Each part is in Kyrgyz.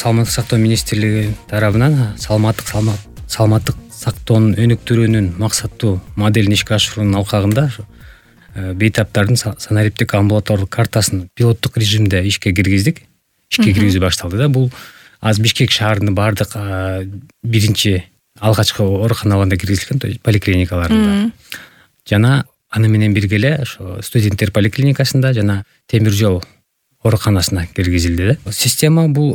саламаттык сактоо министрлиги тарабынан саламаттык сактоонун өнүктүрүүнүн максаттуу моделин ишке ашыруунун алкагында бейтаптардын санариптик амбулаторлук картасын пилоттук режимде ишке киргизүү башталды да. Бул азыр Бишкек шаарынын баардык биринчи алгачкы ооруканаларында киргизилген, поликлиникаларында. Жана аны менен бирге эле ошо студенттер поликлиникасында жана темир жол ооруканасына киргизилди да. Система бул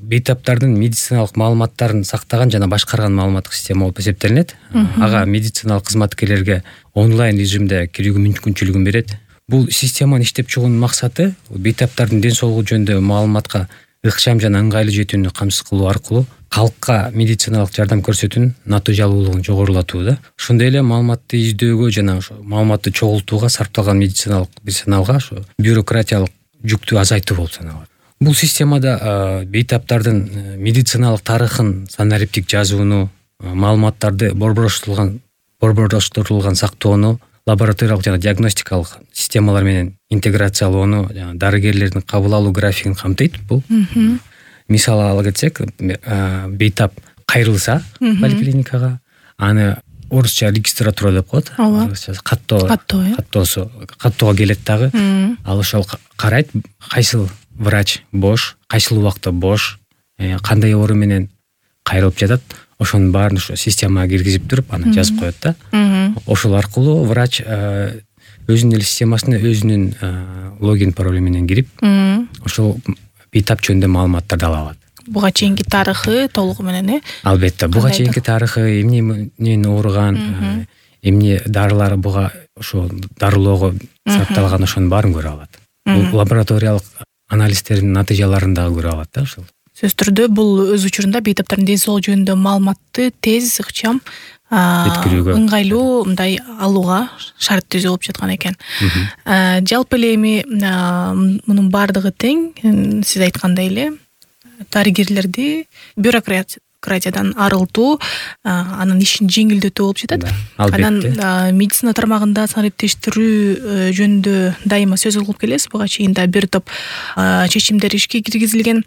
бейтаптардын медициналык маалыматтарын сактаган жана башкарган маалыматтык система болуп эсептелинет. Ага медициналык кызматкерлерге онлайн режимде кирүүгө мүмкүнчүлүгүн берет. Бул системанын иштеп чыгуунун максаты бейтаптардын ден соолугу жөнүндө маалыматка ыкчам жана ыңгайлуу жетүүнү камсыз кылуу аркылуу калкка медициналык жардам көрсөтүүнүн натыйжалуулугун жогорулатуу да. Ошондой эле маалыматты издөөгө жана ошо маалыматты чогултууга сарпталган медициналык персоналга ошо бюрократиялык жүктү азайтуу болуп саналат. Бул системада бейтаптардын медициналык тарыхын санариптик жазууну, маалыматтарды борбороштурулган сактоону, лабораториялык жана диагностикалык системалар менен интеграциялоону, жана дарыгерлердин кабыл алуу графигин камтыйт. Бул мисал ала кетсек, бейтап кайрылса поликлиникага, аны орусча регистратура деп коет. Каттоого келет дагы. Ал ошол карайт, кайсыл врач бош, кайсыл убакта бош, кандай оору менен кайрылып жатат. Ошонун баарын ошо системага киргизип туруп, аны жазып коет да. Ошол аркылуу врач өзүнүн эле системасына өзүнүн логин паролу менен кирип, ошол бейтап жөнүндө маалыматтарды ала алат. Буга чейинки тарыхы толугу менен, Албетте, буга чейинки тарыхы, эмне менен ооруган, эмне дарылар буга ошо дарылоого сарпталган, ошонун баарын көрө алат. Бул лабораториялык анализдердин натыйжаларын дагы көрө алат да ошол. Сөзсүз түрдө бул өз учурунда бейтаптардын ден соолугу жөнүндө маалыматты тез, ыкчам, ыңгайлуу мындай алууга шарт түзүү болуп жаткан экен. Жалпы эле эми мунун баардыгы тең, сиз айткандай эле дарыгерлерди бюрократиядан арылтуу, анын ишин жеңилдетүү болуп жатат. Анан медицина тармагында санариптештирүү жөнүндө дайыма сөз кылып келесиз. Буга чейин да бир топ чечимдер ишке киргизилген.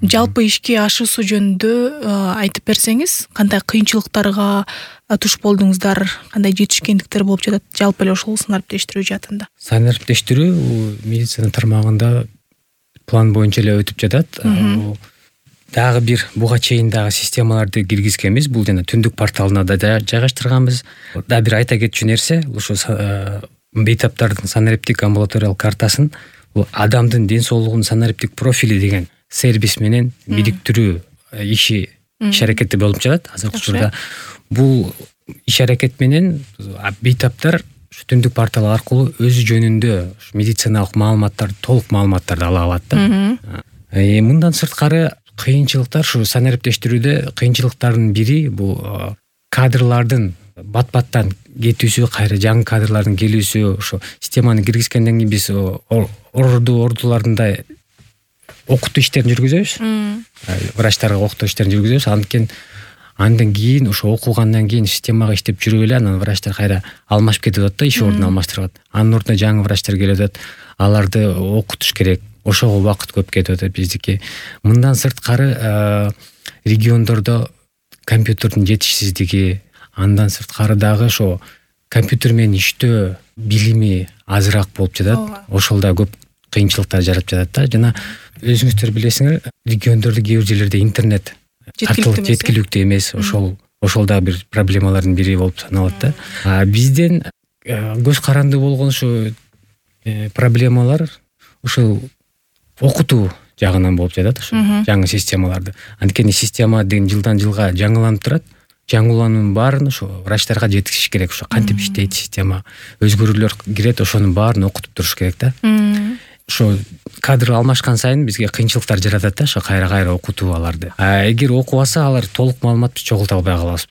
Жалпы ишке ашуусу жөнүндө айтып берсеңиз, кандай кыйынчылыктарга туш болдуңуздар, кандай жетишкендиктер болуп жатат жалпы эле ошол санариптештирүү жаатында? Санариптештирүү медицина тармагында план боюнча эле өтүп жатат. Дагы бир буга чейин дагы системаларды киргизгенбиз. Бул жана түндүк порталына да жайгаштырганбыз. Дагы бир айта кетчү нерсе, ошо бейтаптардын санариптик амбулаториялык картасын адамдын ден соолугунун санариптик профили деген сервис менен бириктирүү иш аракети болуп жатат азыркы учурда. Бул иш аракет менен бейтаптар түндүк портал аркылуу өзү жөнүндө медициналык маалыматтарды, толук маалыматтарды ала алат да. Мындан сырткары кыйынчылыктар, ушу санариптештирүүдө кыйынчылыктардын бири бул кадрлардын бат-баттан кетүүсү, кайра жаңы кадрлардын келүүсү. Ошо системаны киргизгенден кийин биз ордуларында окутуу иштерин жүргүзөбүз. Врачтарга окутуу иштерин жүргүзөбүз. Андан кийин ошо окугандан кийин системага иштеп жүрүп эле анан врачтар кайра алмашып кетип атат да, иш ордун алмаштырып атат. Анын ордуна жаңы врачтар келип атат. Аларды окутуш керек. Ошого убакыт көп кетип атат биздики. Мындан сырткары региондордо компьютердин жетишсиздиги, андан сырткары дагы ошо компьютер менен иштөө билими азыраак болуп жатат. Ошол да көп кыйынчылыктар жаратып жатат да. Жана өзүңүздөр билесиңер, региондордо кээ бир жерлерде интернет жеткиликтүү эмес. Ошол да бир проблемалардын бири болуп саналат да. Бизден көз каранды болгон ушу проблемалар ушул окутуу жагынан болуп жатат, ушу жаңы системаларды. Анткени система деген жылдан жылга жаңыланып турат. Жаңылануунун баарын ошо врачтарга жеткизиш керек. Ошо кантип иштейт система, өзгөрүүлөр кирет, ошонун баарын окутуп туруш керек да. Ошо кадр алмашкан сайын бизге кыйынчылыктар жаратат да, ошо кайра окутуу аларды. Эгер окубаса, алар толук маалыматты чогулта албай калабыз.